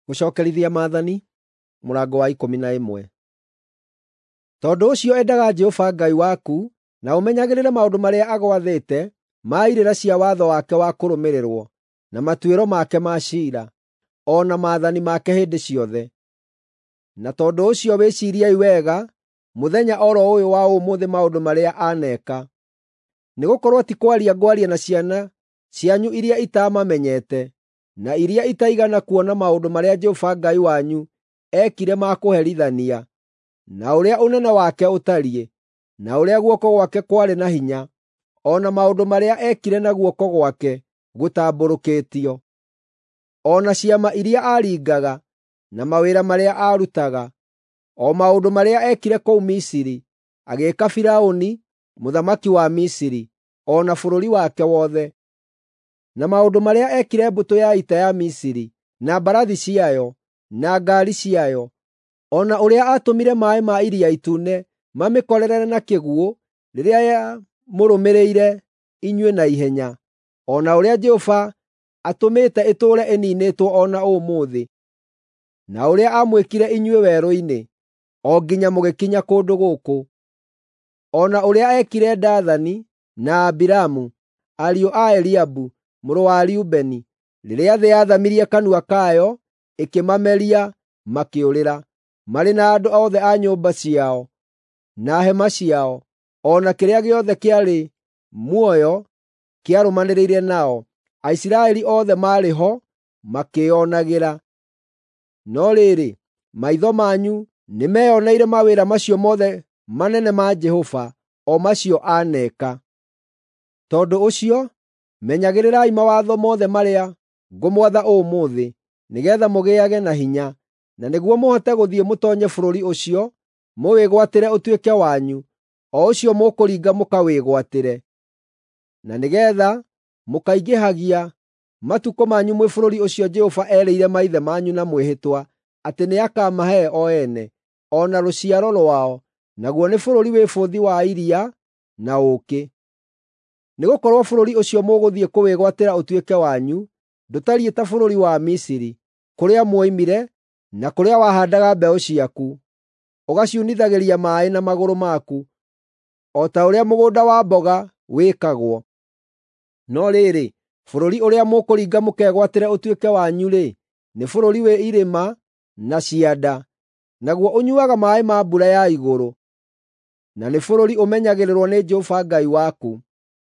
Gũcookerithia Maathani mũrango wa 11. Tondũ ũcio endaga Jehova Ngai waku na ũmenyagĩrĩre maũndũ marĩa agwathĩte ma irĩra cia watho wake wa kũrũmĩrĩrwo, na matuĩro make ma ciira, o na maathani make hĩndĩ ciothe. Na tondũ ũcio wĩciiriei wega mũthenya o ro ũyũ wa ũmũthĩ maũndũ marĩa aneeka. Nĩgũkorwo ti kwaria ngwaria na ciana cianyu iria itaamamenyete, na iria itaigana kuona maũndũ marĩa Jehova Ngai wanyu eekire ma kũherithania, na ũrĩa ũnene wake ũtariĩ, na ũrĩa guoko gwake kwarĩ na hinya, o na maũndũ marĩa eekire na guoko gwake gũtambũrũkĩtio, o na ciama iria aaringaga, na mawĩra marĩa aarutaga, o maũndũ marĩa eekire kũu Misiri, agĩĩka Firaũni mũthamaki wa Misiri, o na bũrũri wake wothe, na maũndũ marĩa eekire mbũtũ ya ita ya Misiri, na mbarathi ciayo, na ngaari ciayo, o na ũrĩa aatũmire maaĩ ma Iria Itune mamĩkorerere na kĩguũ rĩrĩa yamũrũmĩrĩire inyuĩ na ihenya, o na ũrĩa Jehova atũmĩte ĩtũũre ĩniinĩtwo o na ũmũthĩ, na ũrĩa aamwĩkire inyuĩ werũ-inĩ, o nginya mũgĩkinya kũndũ gũkũ, o na ũrĩa eekire Dathani na Abiramu, ariũ a Eliabu mũrũ wa Rubeni, rĩrĩa thĩ yaathamirie kanua kayo ĩkĩmameria makĩũrĩra, marĩ na andũ othe a nyũmba ciao, na hema ciao, o na kĩrĩa gĩothe kĩarĩ muoyo kĩarũmanĩrĩire nao. Aisiraeli othe maarĩ ho makĩĩonagĩra. No rĩrĩ, maitho manyu nĩmeyoneire mawĩra macio mothe manene ma Jehova, o macio aaneka. Tondũ ũcio, menyagĩrĩrai mawatho mothe marĩa ngũmwatha ũmũthĩ, nĩgeetha mũgĩage na hinya, na nĩguo mũhote gũthiĩ mũtoonye bũrũri ũcio, mũwĩgwatĩre ũtuĩke wanyu, o ũcio mũkũringa mũkawĩgwatĩre. Na nĩgeetha mũkaingĩhagia matukũ manyu mwĩ bũrũri ũcio Jehova eerĩire maithe manyu na mwĩhĩtwa atĩ nĩakamahe o ene, o na rũciaro rwao, naguo nĩ bũrũri wĩ bũthi wa iria na ũũkĩ. Nĩgũkorwo bũrũri ũcio mũgũthiĩ kũwĩgwatĩra ũtuĩke wanyu ndũtariĩ ta bũrũri wa Misiri, kũrĩa mwoimire, na kũrĩa wahaandaga mbeũ ciaku, ũgaciunithagĩria maaĩ na magũrũ maku, o ta ũrĩa mũgũnda wa mboga wĩkagwo. No rĩrĩ, bũrũri ũrĩa mũkũringa mũkegwatĩre ũtuĩke wanyu-rĩ, nĩ bũrũri wĩ irĩma na cianda, naguo ũnyuuaga maaĩ ma mbura ya igũrũ, na nĩ bũrũri ũmenyagĩrĩrwo nĩ Jehova Ngai waku.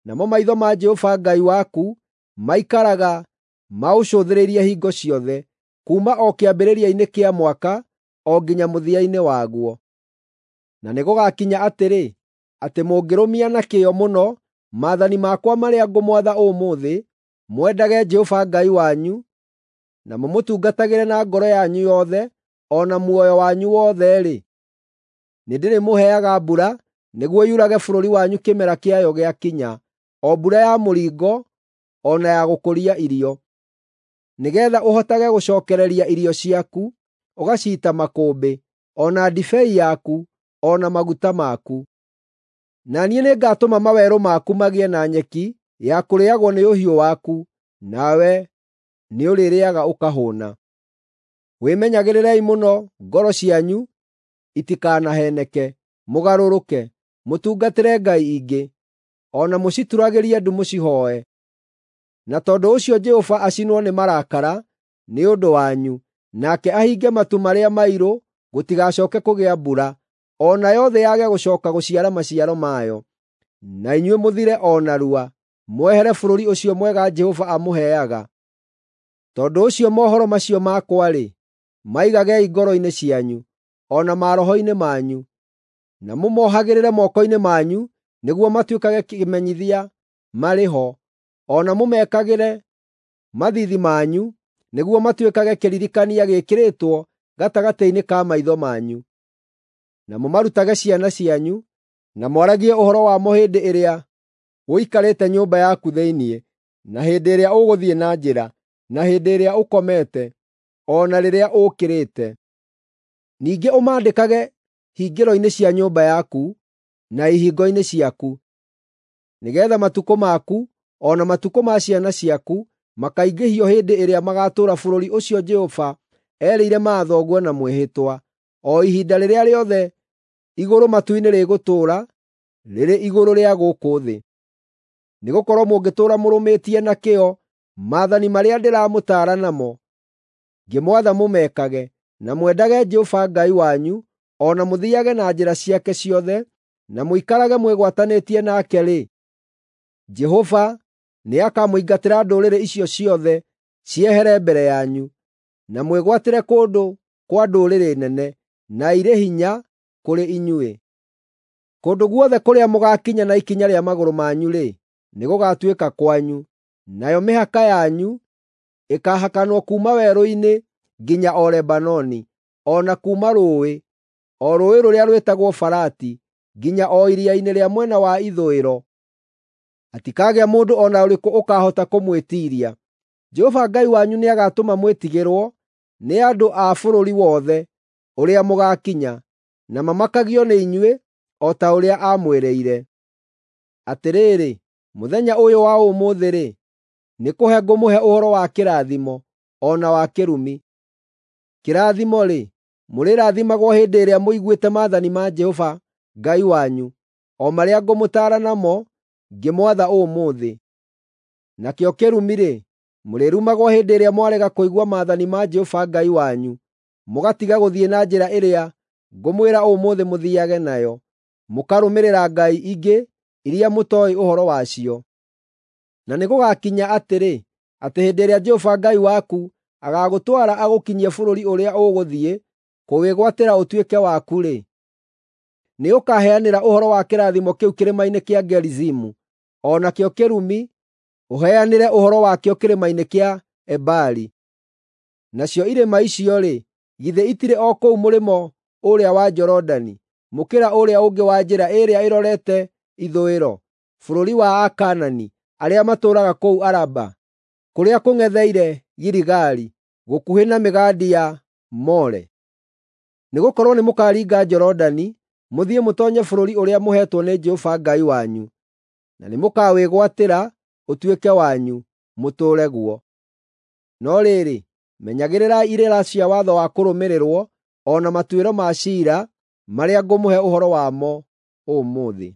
Namo maitho ma Jehova Ngai waku maikaraga maũcũthĩrĩirie hingo ciothe, kuuma o kĩambĩrĩria-inĩ kĩa mwaka o nginya mũthia-inĩ waguo. Na nĩgũgakinya atĩrĩ, atĩ mũngĩrũmia na kĩyo mũno maathani makwa marĩa ngũmwatha ũmũthĩ, mwendage Jehova Ngai wanyu, na mũmũtungatagĩre na ngoro yanyu yothe o na muoyo wanyu wothe-rĩ, nĩndĩrĩmũheaga mbura nĩguo yurage bũrũri wanyu kĩmera kĩayo gĩakinya, o mbura ya mũringo o na ya gũkũria irio, nĩgeetha ũhotage gũcookereria irio ciaku, ũgaciita makũmbĩ, o na ndibei yaku, o na maguta maku. Na niĩ nĩngatũma mawerũ maku magĩe na nyeki ya kũrĩĩagwo nĩ ũhiũ waku, nawe nĩũrĩrĩĩaga ũkahũũna. Wĩmenyagĩrĩrei mũno ngoro cianyu itikanaheeneke, mũgarũrũke, mũtungatĩre ngai ingĩ, o na mũcituragĩrie ndu mũcihooe. Na tondũ ũcio Jehova acinwo nĩ marakara nĩ ũndũ wanyu, nake ahinge matu marĩa mairũ gũtigacooke kũgĩa mbura, o nayo thĩ yage gũcooka gũciara maciaro mayo, na inyuĩ mũthire o narua, mwehere bũrũri ũcio mwega Jehova amũheaga. Tondũ ũcio mohoro macio makwa-rĩ, maigagei ngoro-inĩ cianyu, o na maroho-inĩ manyu, na mũmohagĩrĩre moko-inĩ manyu nĩguo matuĩkage kĩmenyithia marĩ ho, o na mũmekagĩre mathiithi manyu nĩguo matuĩkage kĩririkania gĩĩkĩrĩtwo gatagatĩ-inĩ ka maitho manyu. Na mũmarutage ciana cianyu, na mwaragie ũhoro wamo hĩndĩ ĩrĩa ũikarĩte nyũmba yaku thĩinĩ, na hĩndĩ ĩrĩa ũgũthiĩ na njĩra, na hĩndĩ ĩrĩa ũkomete, o na rĩrĩa ũũkĩrĩte. Ningĩ ũmaandĩkage hingĩro-inĩ cia nyũmba yaku na ihingo-inĩ ciaku, nĩgeetha matukũ maku o na matukũ ma ciana ciaku makaingĩhio hĩndĩ ĩrĩa magaatũũra bũrũri ũcio Jehova eerĩire maathoguo na mwĩhĩtwa, o ihinda rĩrĩa rĩothe igũrũ matu-inĩ rĩgũtũũra rĩrĩ igũrũ rĩa gũkũ thĩ. Nĩgũkorwo mũngĩtũũra mũrũmĩtie na kĩyo maathani marĩa ndĩramũtaara namo, ngĩmwatha mũmekage, na mwendage Jehova Ngai wanyu, o na mũthiiage na njĩra ciake ciothe, na mũikarage mwĩgwatanĩtie nake-rĩ, Jehova nĩakamũingatĩra ndũrĩrĩ icio ciothe ciehere mbere yanyu, na mwĩgwatĩre kũndũ kwa ndũrĩrĩ nene, na irĩ hinya kũrĩ inyuĩ. Kũndũ guothe kũrĩa mũgaakinya na ikinya rĩa magũrũ manyu-rĩ, nĩgũgatuĩka kwanyu, nayo mĩhaka yanyu ĩkaahakanwo kuuma werũ-inĩ nginya o Lebanoni, o na kuuma rũũĩ, o rũũĩ rũrĩa rwĩtagwo Farati, nginya o iria-inĩ rĩa mwena wa ithũĩro. Hatikagĩa mũndũ o na ũrĩkũ ũkaahota kũmwĩtiiria. Jehova Ngai wanyu nĩagatũma mwĩtigĩrwo nĩ andũ a bũrũri wothe ũrĩa mũgaakinya, na mamakagio nĩ inyuĩ o ta ũrĩa aamwĩrĩire. Atĩrĩrĩ, mũthenya ũyũ wa ũmũthĩ-rĩ, nĩkũhe ngũmũhe ũhoro wa kĩrathimo o na wa kĩrumi. Kĩrathimo-rĩ, mũrĩrathimagwo hĩndĩ ĩrĩa mũiguĩte maathani ma Jehova Ngai wanyu, o marĩa ngũmũtaara namo ngĩmwatha ũmũthĩ. Nakĩo kĩrumi-rĩ, mũrĩrumagwo hĩndĩ ĩrĩa mwarega kũigua maathani ma Jehova Ngai wanyu, mũgatiga gũthiĩ na njĩra ĩrĩa ngũmwĩra ũmũthĩ mũthiiage nayo, mũkarũmĩrĩra ngai ingĩ iria mũtooĩ ũhoro wacio. Na nĩgũgakinya atĩrĩ, atĩ hĩndĩ ĩrĩa Jehova Ngai waku agaagũtwara agũkinyie bũrũri ũrĩa ũgũthiĩ kũwĩgwatĩra ũtuĩke waku-rĩ, nĩũkaheanĩra ũhoro wa kĩrathimo kĩu kĩrĩma-inĩ kĩa Gerizimu, o nakĩo kĩrumi ũheanĩre ũhoro wakĩo kĩrĩma-inĩ kĩa Ebali. Nacio irĩma icio-rĩ, githĩ itirĩ o kũu mũrĩmo ũrĩa wa Jorodani, mũkĩra ũrĩa ũngĩ wa njĩra ĩrĩa ĩrorete ithũĩro, bũrũri wa Akaanani arĩa matũũraga kũu Araba, kũrĩa kũng'etheire Giligali, gũkuhĩ na mĩgandi ya More? Nĩgũkorwo nĩmũkaringa Jorodani mũthiĩ mũtoonye bũrũri ũrĩa mũheetwo nĩ Jehova Ngai wanyu, na nĩmũkawĩgwatĩra ũtuĩke wanyu, mũtũũre guo. No rĩrĩ, menyagĩrĩrai irĩra cia watho wa kũrũmĩrĩrwo o na matuĩro ma ciira marĩa ngũmũhe ũhoro wamo ũmũthĩ.